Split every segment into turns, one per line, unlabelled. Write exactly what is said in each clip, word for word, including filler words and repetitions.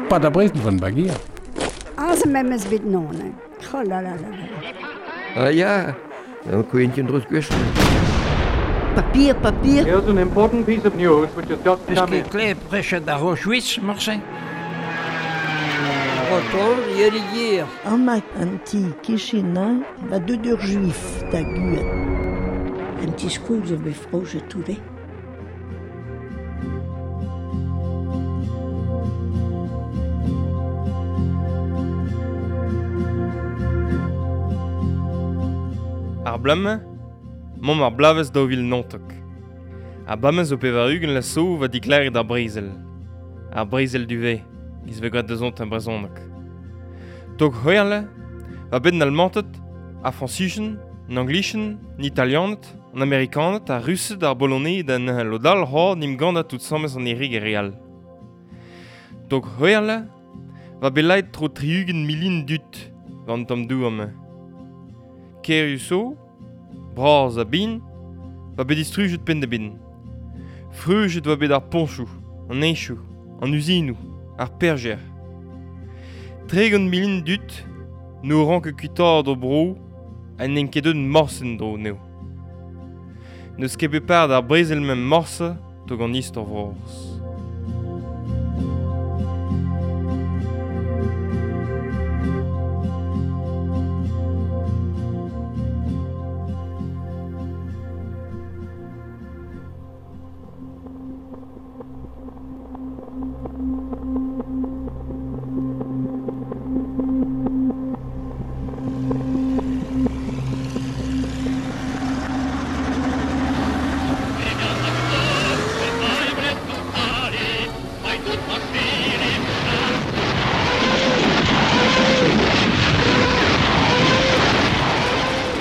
Pa da brezel van bagier.
Aze memez bet non. Oh la la la la.
Ah ja, dan kun je drus gwech.
Papier, papier.
Here's an important piece of news which has just come in.
Peus ket klevet da Auschwitz, morse?
Breton, yelier.
An an ti kichina va deut ur juif da guet.
An ti skoul zo bet frojet toude.
Ar blame, mom ar blavez daou vil nantok. Ar bamez o pevar-ugent la so va diklaret ar brezel. Ar brezel du ve, giz ve gwad da zont an brezhoneg. Tok c'hwerle, va bet an Almanted, ar Frañsischen, an Anglischen, an Italianed, an Amerikaned, ar Rused, ar Boloned an lodal c'ho nim gant tout samez an erig e real. Tok c'hwerle, va bet laet tro tri-ugent milin dut va an tamm douam. Keriuso, braz a bin, va bet distrujet pen da bin. Freujet va bet ar ponchou, an enchou, an uzinou, ar perger. Tregont milin dut, no rank kuitad o bro, an en ket eun morsen dro neo. Neus ket bet par d'ar brezel mem morse tog an istor vroz.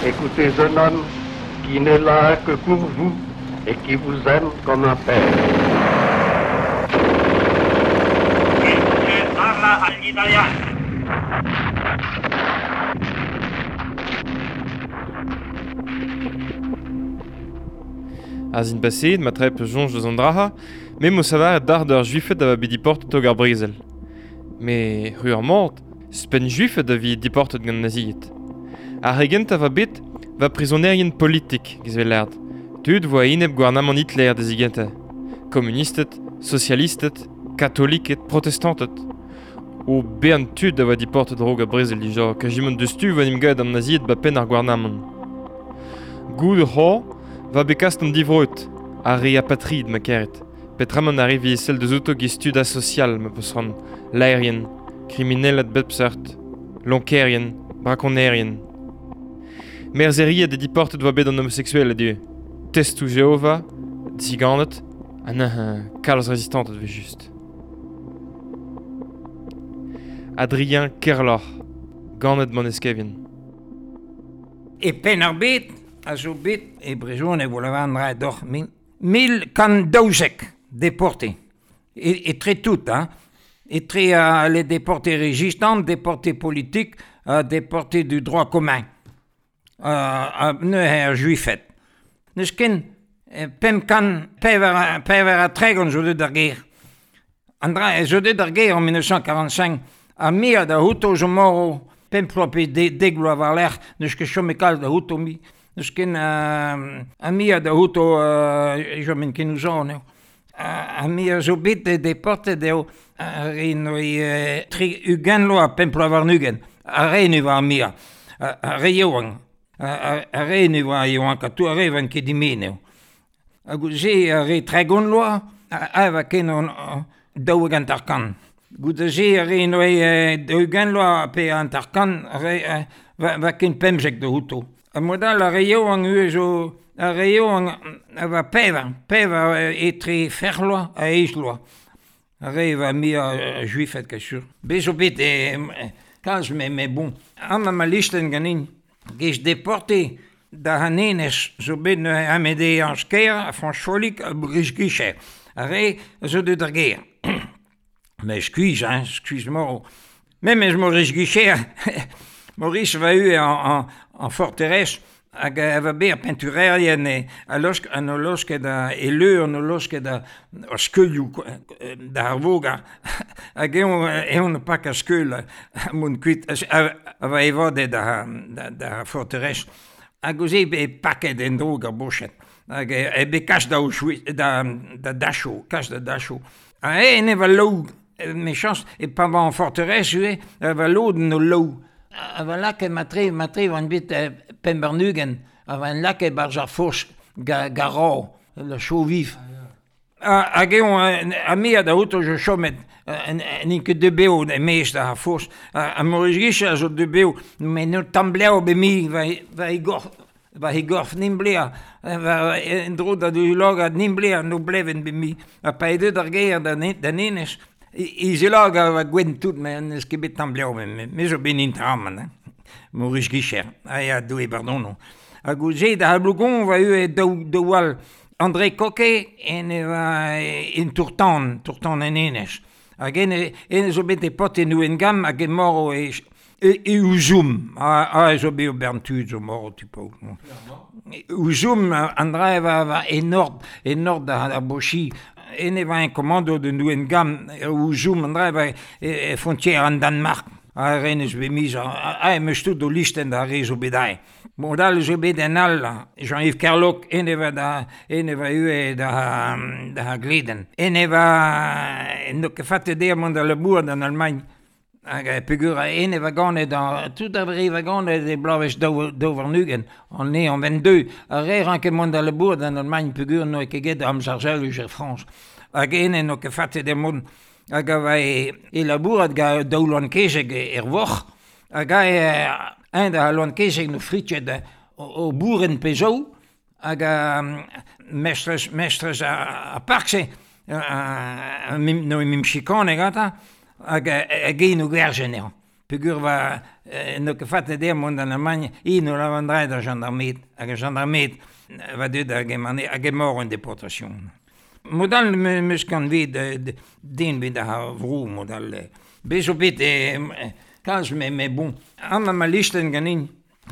Écoutez un homme qui n'est là que pour vous et qui vous aime comme un père.
Parla agli italiani.
A zin paseet ma trep jonj deus an draha, me mo savar d'ar d'ar juifet a va bet diportet tog ar brezel. Me ru ar mort, spen juifet a vi diportet gant naziet. Ar regent a va bet va prisonerien politik giz vel lerd. Tud voa enep gouarnamant Hitler da zigenta. Kommunisted, socialisted, katoliket, protestanted. O bern tud a voa diportet rog a brezel dija, kajimont deus tu va nim gaet an naziet ba penn ar gouarnamant. Goud c'ho va bet kast an divroet, ar re apatrid ma keret. Petramant ar re vi sel deus outo giz tud asocial ma peus ran laerien, kriminelad bep seurt, lonkerien, brakonerien. Merzeriet e diportet voa bet an homosexuel a-du. Testou Jehova, ziganet, ha neuze kalz rezistantet ve just. Adrien Kerloc'h, ganet man eskevien.
E pen ar bet, a zo bet, e brezhoneg vo lavar an dra doc'h, mil, mil kant daouzek déportés. E, etre tout, hein. Etre euh, les déportés résistants, déportés politiques, euh, déportés du droit commun. Uh, neuze ar juifed. Neus ken pemp kant pevar, pevar ha tregont zo deut ar ger. An dra zo deut ar ger en mil nav c'hant quarante-cinq ha mia da outo zo moro pemp ploaz pe de, dek bloaz war-lerc'h neus ket chom e kalz da outo mi. Neus ken uh, ha mia da outo uh, jomen ken ouzon eo. Ha mia zo bet de deportet eo ar re noi uh, tri ugent loa pemp ploaz warn-ugent. Ar re nu war mia. Ar re yaouank. Ar re ne oa yaouank ha tout ar re van ket dimen eo. Hag se ar re tregont loa, a va ken an daou hag hanter-kant. Goude se ar re noe daou-ugent loa pe hanter-kant, ar re va, va ken pemzek da outo. Ha mod all ar re yaouank eo zo, ar re yaouank a va pevar, pevar etre fer loa ha eizh loa. Ar re va mia juifet ket sur. Bez zo bet e, kalz me, me bon. Amañ ma listenn ganin. Gez deporté da hanenez zo bet neuze Amédée Ansquer, a François Folik, a Brice Guichet. Ar re zo deut ar ger. Mais skuizh, hein, skuizh moro. Memez Maurice Guichet, Maurice va eu en, en, en forteresse, Hag a va bet ar penturerien e, a losk, an o losket a, e leur an o losket a, a skeulioù da ar voga. Hag eon, eon pak a skeul a mont kuit, a, a va evadet da, da, da forterez. Hag oze e paket en drog ar bochet. Hag e, e bet kas da, Auschwitz, da, da Dachau, kas da Dachau. Ha e ne va lou, me chans, e pa va an forterez ue, a va loden o lou. A va lakaet matre, matre van bet pembarnugen, a va en lakaet barz ar foch ga, garo, le chou vif. Hag eon, a me a da auto je chomet, n'in ket de beo e mez da ar foch, a Maurice Guiche a zo de beo, me no tambleo be mi, va, va e gorf, va e gorf nim blea, va en dro da du logad nim blea, no bleven be mi, a pa e deut ar ger da, da nenez, Izelag a va gwen tout, me n'eus ket bet tambleo, me, me zo ben intraman, hein. Maurice Guicher, a ya doue bardono. Hag oze da Blougon va eu e daou, daou all André Coquet en e va en Tourtan, Tourtan en enez. Hag en, en zo bet e pot en ouen gam hag e moro e, e, e ouzoum. A, a zo bet o bern tud zo moro tipo. Ouzoum, André va, va e nord, e nord da, da Bochi. En e va un commando de Nouen Gam, ouzoum, André va e, e frontière an Danmark. A renez bet mis, a, a em eus tout o listen da re zo bet ae. Bon, dal zo bet en all, Jean-Yves Kerloc, en e va da, en e va ue da, da Gleden. En e va, en do ket fate der mont da labour d'an Allemagne. Hag e pegur a en e va ganet, tout a re va ganet e blavez daou, daou varnugen, an e an vingt-deux. A re ran ket mont da labour d'an Allemagne pegur no e ket get am zarzel eus er Frans. Hag en en o ket fate der mont. Hag a va e, e labourat ga daou loan kezeg er voc'h, hag a e, un da loan kezeg no fritjet o, o boeren pezou, hag a mestrez, mestrez a, a parkse, a, a, no e mim chikane gata, hag hag e no gwerzen eo. Pegur va no ket fate der mont an Allemagne, i no lavandrai da gendarmet, hag a gendarmet va deut hag e mane, hag e mor en deportation. Modal me meus kan vet den bet ar vro modal. Bez zo bet kalz me me bon. Am ma listen ganin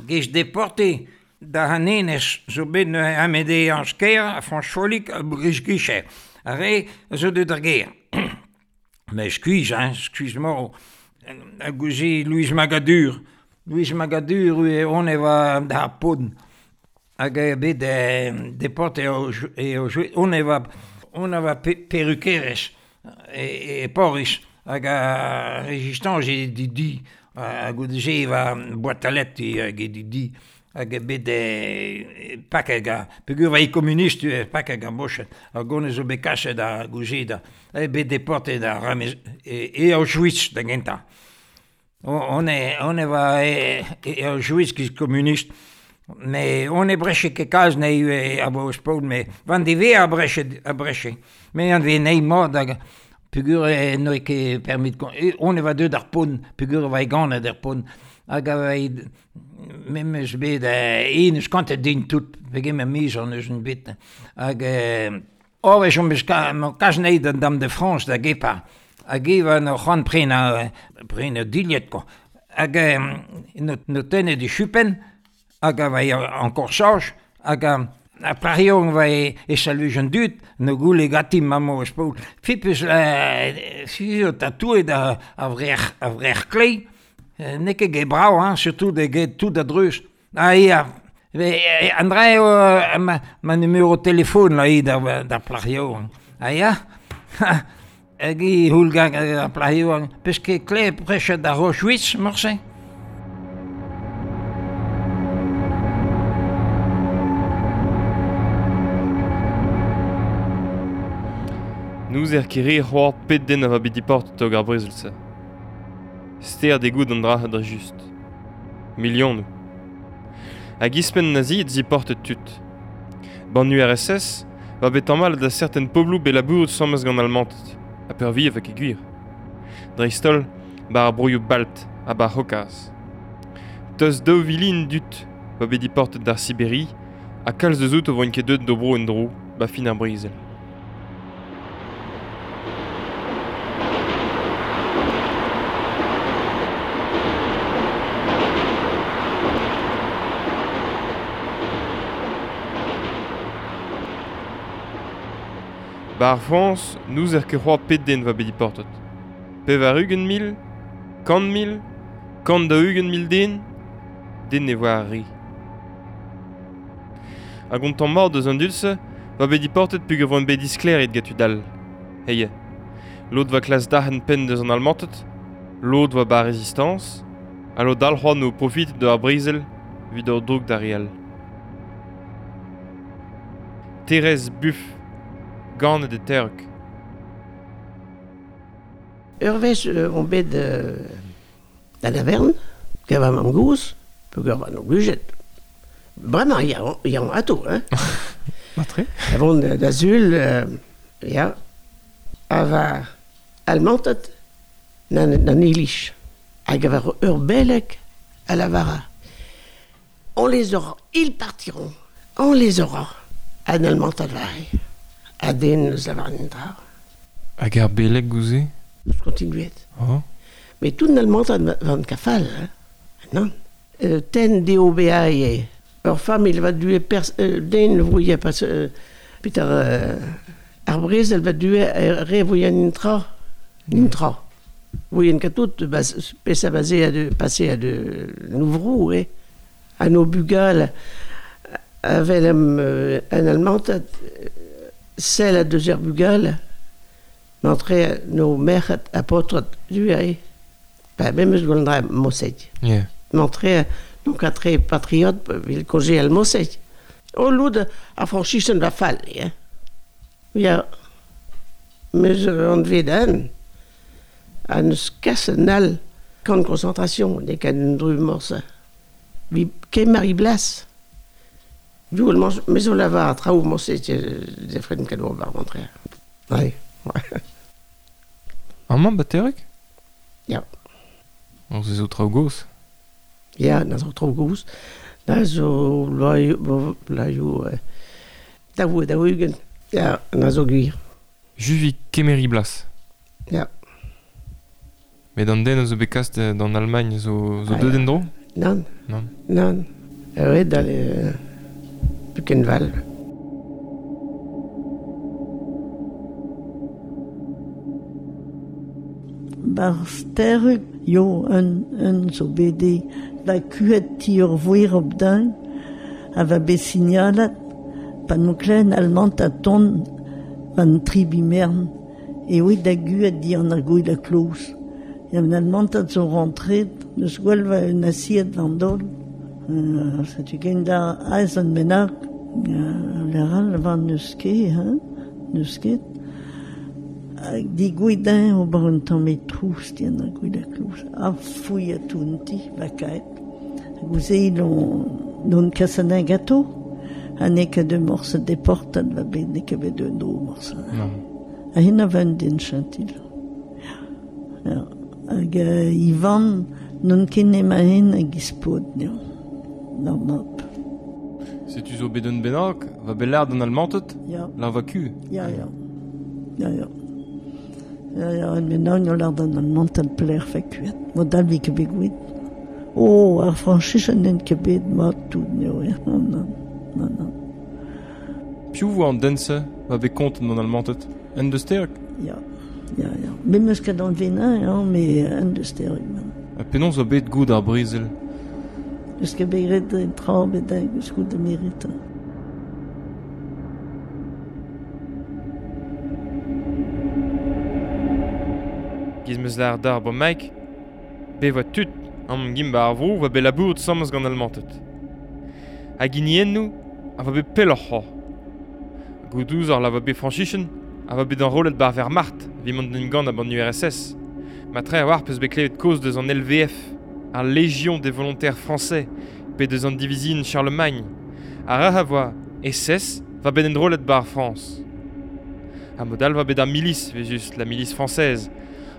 gez deporté da hanenez zo bet Amédée Ansquer, a François Folik, a Brice Guichet. A re zo deut ar ger. Mais skuiz, hein, skuiz mor. A gouze Louise Magadur. Louise Magadur, e on e va da podn. Hag e bet deporté o, e o, on e va on a va perruqueres e, e Poris hag a résistance e di di hag goude va boîte hag e di di hag e bet e pak hag a pegur va e communiste e pak hag a bochet hag on zo bet kaset da gouze da e bet deporté da Ramez e, e Auschwitz da genta. On e on e va e, e Auschwitz ki communiste. Mais on e breche ket kalz ne e a bo spod, me van di ve a breche, a breche. Me an ve nei mod hag pegur e no e ket permit on e va deut ar pon, pegur va e ganet ar pon. Hag a va e me meus bet e eus kantet din tout, pege me miz an eus un bet. Hag o e chom beus kaz nei d'an Dame de France da gepa. Hag e va no c'hoant prena, prena dilhet ko. Hag no, no tenne di chupen, hag a va en corsage, hag a, a parion va e, e saluj an dud, no goule gati mamo eus paoul. Fipus euh, si o tatouet a, a vrec'h, a vrec'h klei, n'eo ket get brao, hein, surtout de get tout a dreuz. Ah ia, André, euh, ma, ma numéro téléphone la i da, da plario. Ah ia, hag i houl gant ar plario, peus ket kle prechet da Auschwitz, morse?
Nous er kere c'hoar pet den a va bet diport tog ar brezel-se. Ster de gout an dra dre just. Milionoù. Hag ispen nazi et ziportet tut. Ban U R S S va bet mal da certain poblou be labouret samez gant almantet, a pervi avek e gwir. Dreistol, bar ar broioù balt ha bar c'hokaz. Teus daou vilin dut va bet diportet d'ar Siberi, ha kalz deus out o voint ket deut d'o bro en dro, ba fin ar brezel. Ba ar Frañs, n'ouzer ket c'hoazh pet den va bet diportet. Pevar-ugent mil, kant mil, kant daou-ugent mil den, den ne voa ar re. Hag on tamm mat deus an dud-se, va bet diportet peogwir voant bet disklêriet gant tud all. Heie. Lod va klas dac'henn penn deus an Almanted, lod va ba Résistance, ha lod all c'hoant o profit de ar brezel evit ur droug d'ar re all. Thérèse Buff, ganet e Terrug.
Ur wech euh, on bet euh, da lavern, gant va mamm-gozh, peogwir va no glujet. Bremañ, ya, ya on ato, hein.
Matre.
Avant da sul, euh, ya, a va almantet nan, nan iliz. Hag a va ur beleg a lavara. On les aura, ils partiront, on les aura. An almantat vare, a den eus lavar an dra.
Hag ar beleg gouze?
Eus kontinuet.
Oh.
Mais tout an almantat van kafal, hein. Non. Euh, ten D O B A e. Ur familh va due pers, euh, den voie pas euh, Peter euh, ar brezel va due re voie an intra. Intra. Voie en katout bas pesa basé a de passer a de nouvrou eh. A no bugal avel am euh, an almantat sel a deux er bugal m'entre no merc'hed a paotred du eh. Ba memes eus gwell dra Mosset.
Yeah.
M'entre donc a tre patriote vil koje al Mosset. O loud a franchisen va fall, eh. Ya meus an vedan a neus kas an all camp de concentration ne ket un dru morse. Vi kemer i blas. Du meus o lavar a traoù morse de fred kado war rentrer. Ouais.
Amañ ba Terrug?
Ya.
On se zo traoù gozh?
Ya, na zo traoù gozh. Na zo bloaioù, bloaioù, daou, daou-ugent. Ya, na zo gwir.
Juvi kemeri blas.
Ya.
Met an den a zo bet kast d'an Allemagne zo, zo
Ah,
deut
ya.
en-dro?
Nann.
Nann.
Nann. Evet, dal euh, Buchenwald.
Bar Terrug, yo, un, un zo bede, va kuet ti ur voer op din, a va bet signalat, pa no klen almant a ton van tribi mern, e oe da guet di an ar gouil a kloz. Ya an almantad zo rentret, neus gwell va un asiet van dol. Euh, setu ken da aez an bennak, euh, leral van neus ket, hein, neus ket. Hag di gouidin ober un tamm e trouz di an ar gouil a kloz. A fouilh a tounti, va kaet. Hag ouz e l'on, l'on kasan un gâteau. Ha ne ket de morse deportat va bet, ne ket bet un dro morse.
Non.
Ha hen a va un den chantil. Ja. Hag euh, Ivan n'on ket nema hen hag ispod, neo. D'ar map.
Setu zo bet un bennak, va bet lard an almantet,
Ya.
lar va ku.
Ya, ya. Ya, ya. Ya, ya, un bennak no lard an almantet pler fa kuet. Mod all vi ket bet gouet. Oh, ar franchichen n'en ket bet mat tout, neo, eh. Non, non, non, non.
Piv vo an den-se va bet kontet an almantet? En deus Terrug?
Ya, ya, ya. Me meus ket an venin, hein, me en deus Terrug, man.
Ha penaos zo bet goud ar brezel?
Eus ket bet graet en tra bet hag eus goud da merit.
Giz meus lar d'ar bo Mike, be voa tud am gim ba ar vro va bet labour sammes gant almantet. Hag hiniennoù a va bet pelloc'h c'hoazh. Goudouz ar la va bet franchichen, a va bet enrollet bar Wehrmacht, vi mont den gant a ban U R S S. Ma tre a war peus bet klevet koz deus an L V F, ar Légion des Volontaires Français, pe deus an Divisine Charlemagne. Ar ra a voa S S va bet enrollet bar France. A modal va bet ar milice, ve just la milice française.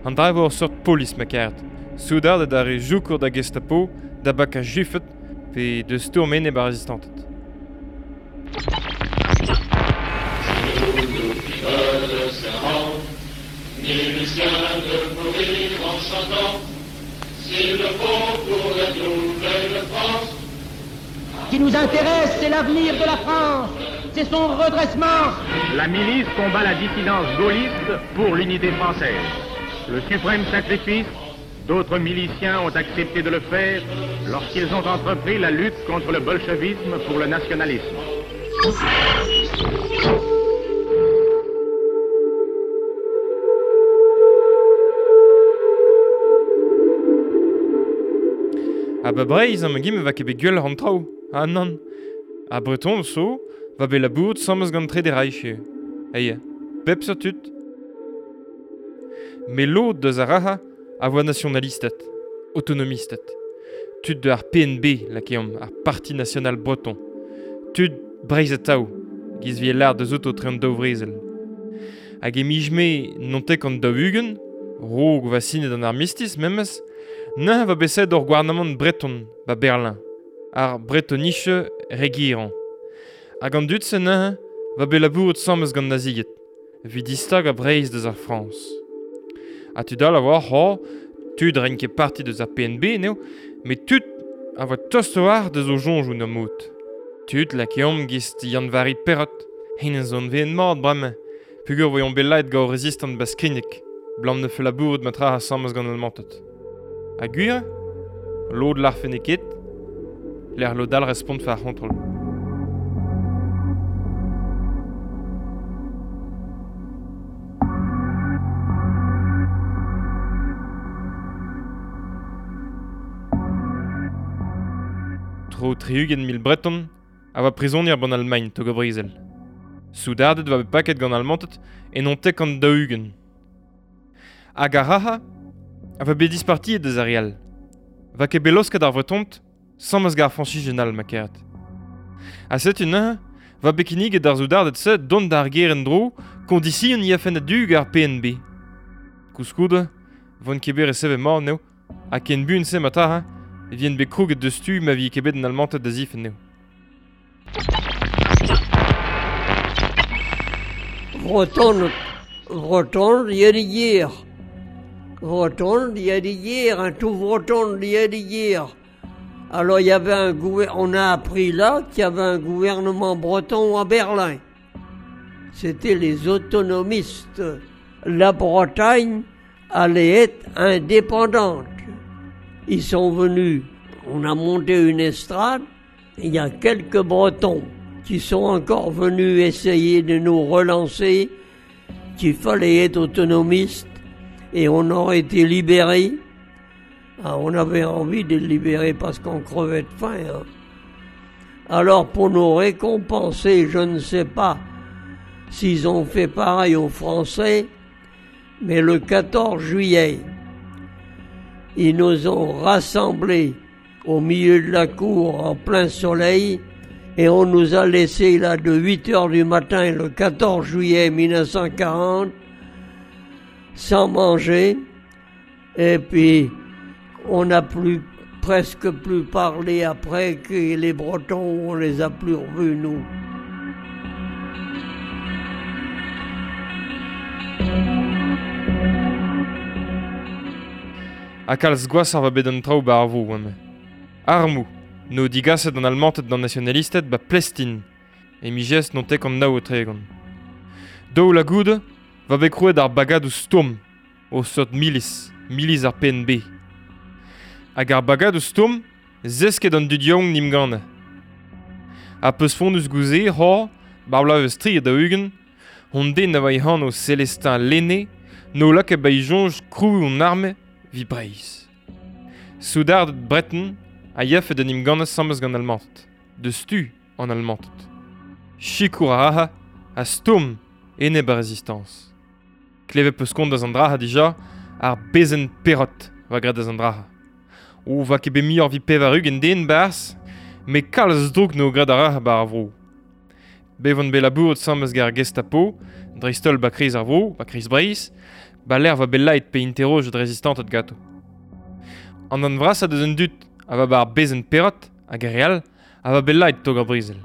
An dra vo ur seurt polis ma karet. Soudard da re joukour da Gestapo, da bak a jufet, pe deus stourmen e bar rezistantet.
Ce qui nous intéresse, c'est l'avenir de la France.
c'est son redressement.
La milice combat la dissidence gaulliste pour l'unité française. Le suprême sacrifice, d'autres miliciens ont accepté de le faire lorsqu'ils ont entrepris la lutte contre le bolchevisme pour le nationalisme.
Ha ba Breizh am gim va ket bet gwell an traoù, ha nann. Ha Breton so, va bet labouret samez gant tre de Reich. Eie, bep sur tud. Me lod deus ar raha a voa nationalistet, autonomistet. Tud de ar P N B, lakeomp, ar Parti National Breton. Tud Breizh atao, giz vi l'ar deus auto tre an daou vrezel. Hag e mij-me nontek an daou ugent, rog va sinet an armistice memes, Neuze va beset ur gouarnamant breton ba Berlin, ar bretonische Regierung. Hag an dud se neuze va bet labouret samez gant nazied, evit distag a Breizh deus ar Frañs. Ha tud all a oa c'ho, tud ren ket parti deus ar P N B neo, met tud a voa tost war deus o soñjoù na mod. Tud lakeomp gist Yann-Vari Perrot, henez zo an veen mat bremañ, pugur voion bet laet gant rezistant ba Skrigneg, blam ne fe labouret ma tra a samez gant almantet. Ha gwir, lod l'arfen e ket, l'er lod all respont fa ar c'hontrol. Tro tri-ugent mil Breton a oa prizonier ban Almagn tog a brezel. Soudardet va bet paket gant almantet e non tek an daou-ugent. Hag ar raha a va bet dispartiet deus ar real. Va ket bet losket ar Vretont, samez gar Frañsizien all ma keret. Ha setu neuze, va bet kinniget d'ar soudardet se dont d'ar ger en-dro kondision i a fen a-du gar P N B. Koulskoude, von ket bet resevet mat neo, ha ken buan se ma ta, e vien bet krouget deus tu ma vi ket bet an almantet da zifen neo.
Breton, Breton, yedigier. Breton, yedigier, un tout Breton, yedigier. Alors il y avait un gouver- on a appris là qu'il y avait un gouvernement breton à Berlin. C'était les autonomistes. La Bretagne allait être indépendante. Ils sont venus, on a monté une estrade, il y a quelques Bretons qui sont encore venus essayer de nous relancer, qu'il fallait être autonomiste, et on aurait été libérés. Ah, on avait envie de les libérer parce qu'on crevait de faim. Hein. Alors pour nous récompenser, je ne sais pas s'ils ont fait pareil aux Français, mais le quatorze juillet, ils nous ont rassemblés au milieu de la cour en plein soleil et on nous a laissés là de huit heures du matin le quatorze juillet mille neuf cent quarante sans manger et puis on n'a plus presque plus parlé après que les Bretons, on les a plus revus nous.
Ha kalz gwazh ar va bet an traoù ba ar vo, eme. Armoù, no digaset an almantet d'an nationalisted ba Plestin, e mijez non tek an nao o tregont. Daou la goude, va bet krouet ar bagadoù stourm, o seurt milis, milis ar P N B. Hag ar bagadoù stourm, zesket an dud yaouank nim gane. Ha peus fondus gouze, c'hor, bar bloaz eus tri da ugent, hon den a va e anv Célestin Lainé, no lakaet ba e soñj krouiñ hon arme vi Breizh. Soudard Breton a yafe da nim gant samez gant almantet, de stu an almantet. Sikour a aha a stourm enep ar resistance. Klevet peus kont da an draha dija ar bezen Perrot va graet da an draha. O va ket bet muioc'h vi pevar ugent den barzh, met kalz drouk n'eo graet ar raha bar ar vro. Bevon bet labouret samez gant ar Gestapo, dreist-holl ba kriz ar vro, ba kriz Breizh, ba l'er va bet laet pe interrojet rezistantet gato. An an vras a deus un dud a va bar bezen Perrot hag ar real a va bet laet tog ar brezel.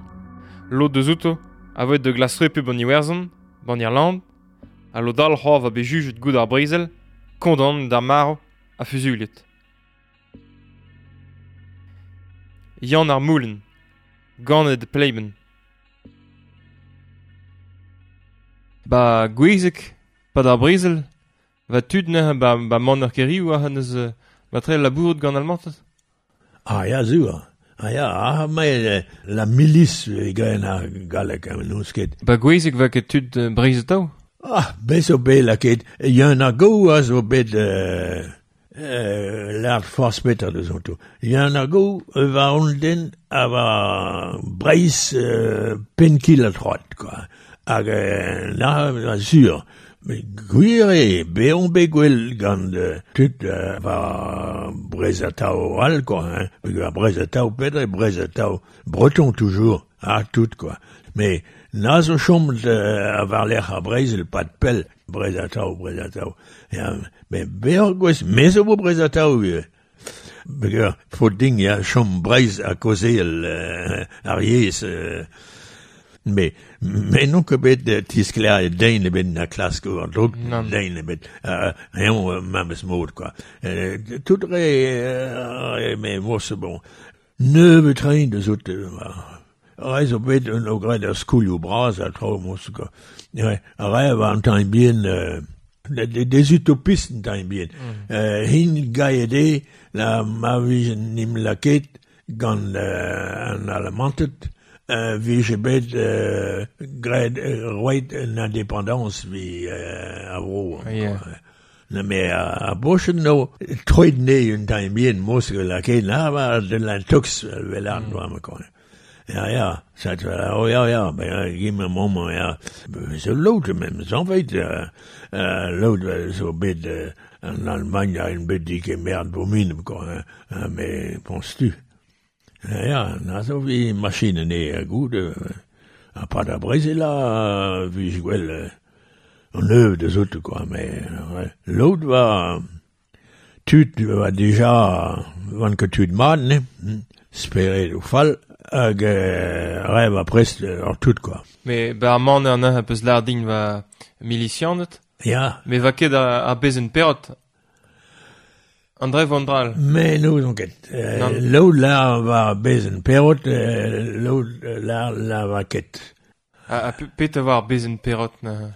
Lod deus outo a voet de glasrepu ban Iwerzhon, ban Irland, ha lod all c'hoar va bet jujet goud ar brezel, kondan d'ar marv ha fuzuliet. Yann ar Moulen, ganet e Pleiben. Ba Gwezeg, pa d'ar brezel, va tud neuze ba, ba man ur keriou a neus ba tre labouret gant almantet.
Ah ya, zur. Ah ya, ah, mais la milice e gaen ar gallek an n'eus ket.
Ba Gwezeg va ket tud Breizh atao?
Ah, bez zo bet laket, Yann ar Gow a zo bet euh, euh, lart force petra deus onto. Yann ar Gow va on den a va Breizh euh, pennkil a troad, quoi. Hag euh, na, na sur. Mais gwir eo, be on bet gwell gant euh, tud euh, va Breizh atao all, quoi, hein. Peogwir Breizh atao petra, Breizh atao breton toujours, ah, tout, quoi. Mais na zo chommet euh, a war-lerc'h ar Brezel, pad pell, Breizh atao, Breizh atao. Ya, mais be ur gwez, me zo bo Breizh atao ivez. Peogwir faot din ya chom Breizh a kaozeal euh, ar yezh. Euh, mais mais n'on ket bet tiskleriet den ebet na klask ur droug den ebet eñ memes mod quoi. Euh, tout re euh, mais mos bon. Nebeut train deus out re zo bet un o graet ar skoulioù bras a traoù mos quoi. Ouais, ar re va an tamm bihan euh, des, des utopistes un tamm bihan. Mm. Euh, hin gaet eo la ma vije nim laket gant euh, an alamantet euh, vije bet euh, graet euh, roet un indépendance vi euh, a vro.
Yeah.
Na me a, a bochen no troet ne un tamm bihan mos laket na va de la tox vel an doa ma quoi. Ja, ja, sagt oh ja, ja, ben gi me moment, ja. Zo lood men, zo weet, uh, uh, lood zo bet uh, en Allemagne a un bet dik merde bo min, quoi, uh, mais penses-tu? Ja, ja, na zo vi machine ne goed, uh, a pa da Brezel a vi gwell uh, an neuve deus out, quoi, mais uh, lood va tud va déjà van ket tud mat, ne, speret o fall, hag euh, rev a prest ur tout, quoi.
Mais ba ar man an a peus lar din va milicianet.
Ya.
Mais va ket a, a bezen perot. André Vandral.
Mais n'ouzon ket. Euh, Loud la va bezen perot, euh, loud la la va ket.
A, a pet a war bezen perot na.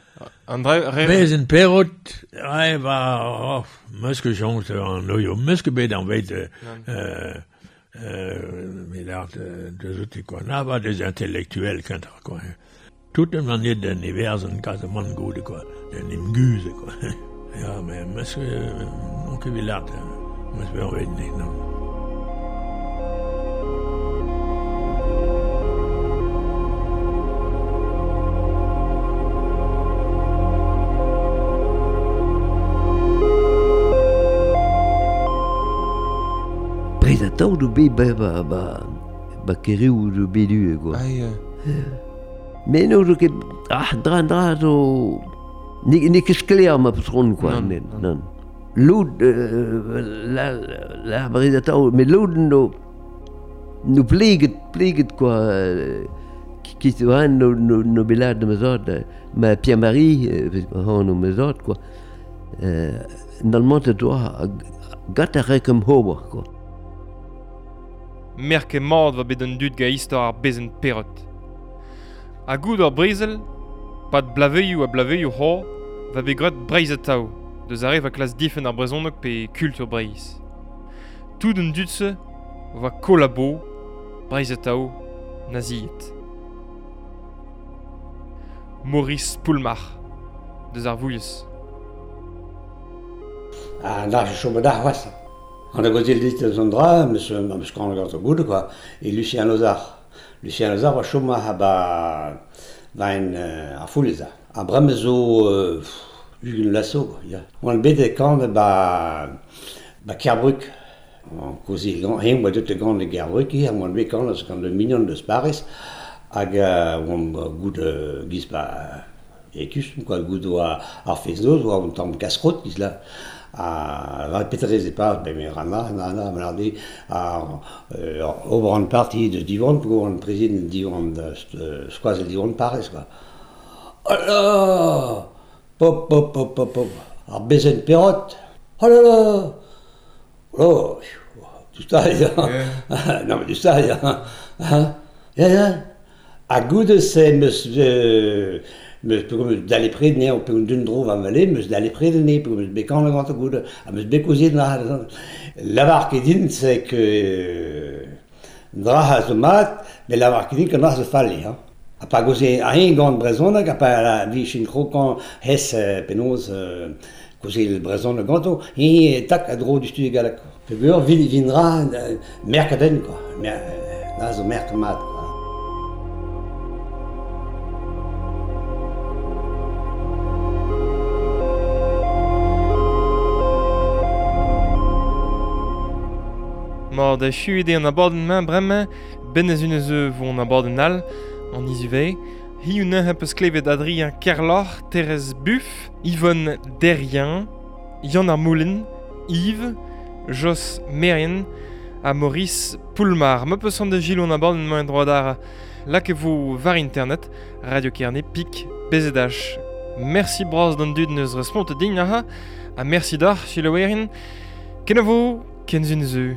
André re...
Bezen perot, re va, oh, meus ket soñj an oio, meus ket bet an vet euh, euh, Euh, mais l'art deus out quoi. Na va des intellectuels kentoc'h quoi. Tout an manier d'un everzen kazamant goude quoi, d'un imguze quoi. Ja, mais meus ket ket vet l'art, meus bet an vet ne, non.
Breizh atao do bet ba ba ba ba keriou do bet du quoi.
Ah ya.
Mais no zo ket ah dra dra zo ne ne ket sklaer ma patron quoi non non. Loud la la Breizh atao mais loud no no pleget pleget quoi ki zo an no no no belad ma zad ma Pierre-Marie han no ma zad quoi. Euh normalement doa gat a rekem hober quoi.
Merke mat va bet an dud ga istor ar bezen perot. A goud ar brezel, pad blaveioù a blaveioù ho, va bet graet Breizh atao, deus ar re va klas difen ar brezhoneg pe kultur Breizh. Tout an dud-se va kolabo, Breizh atao, naziet. Maurice Poulmar, deus ar Vouilhez.
Ah, da chom da c'hoazh. On a gozil dit eus an dra, meus meus kan gant o goud, quoi, et Lucien Lozar. Lucien Lozar va chom a ba va en ar foulez. A brem zo euh, Hugues Lasso, quoi, ya. Oan bet e kan ba ba Kerbruk. An kozil gant, hen oa deut gant e Kerbruk, hier, oan bet kan eus gant le mignon deus Paris, hag oan goud giz ba e kustum, quoi, goud oa ar fez-noz, oa un tamm kaskrot, giz la. A va petrez e pas, ben me rana, na, na, ma a ober an parti de Diwan, pour an président Diwan, skoaz Diwan Paris, quoi. Oh là! Pop, pop, pop, pop, pop. Ar bezen perot. Oh là là! Oh, tout ça, yeah. Non, mais tout ça, yeah. Ya, ya. A goude se meus, euh, Meus peogwir meus dale pred ne, pe un dun dro va vale, meus dale pred ne, peogwir meus bet kan gant goud, ha meus bet kaozeet na. Lavar ket din, c'est que dra a zo mat, met lavar ket din ket dra zo fall eo, hein. Ha pa goze a en gant brezhoneg, ha pa la vichin krokan hes penaos goze el brezhoneg ganto, he tak a dro du studi galleg. Peogwir vin vin dra merk a den, quoi. Mer, dra zo merk mat, quoi.
Mar da echuet eo an abadenn-mañ bremañ, ben ez un eus vo an abadenn all, an izuvez. Hi un un peus klevet Adrien Kerloc'h, Thérèse Buff, Yvonne Derrien, Yann ar Moulin, Yves, Jos Merien ha Maurice Poulmar. Ma peus an da gilo an abadenn-mañ en droad ar lak e vo war internet, Radio Kerne, Pik, B Z H. Merci bras d'an dud neus respont din aha, ha merci d'ar, selaouerien. Kenavo, kenzun zeu.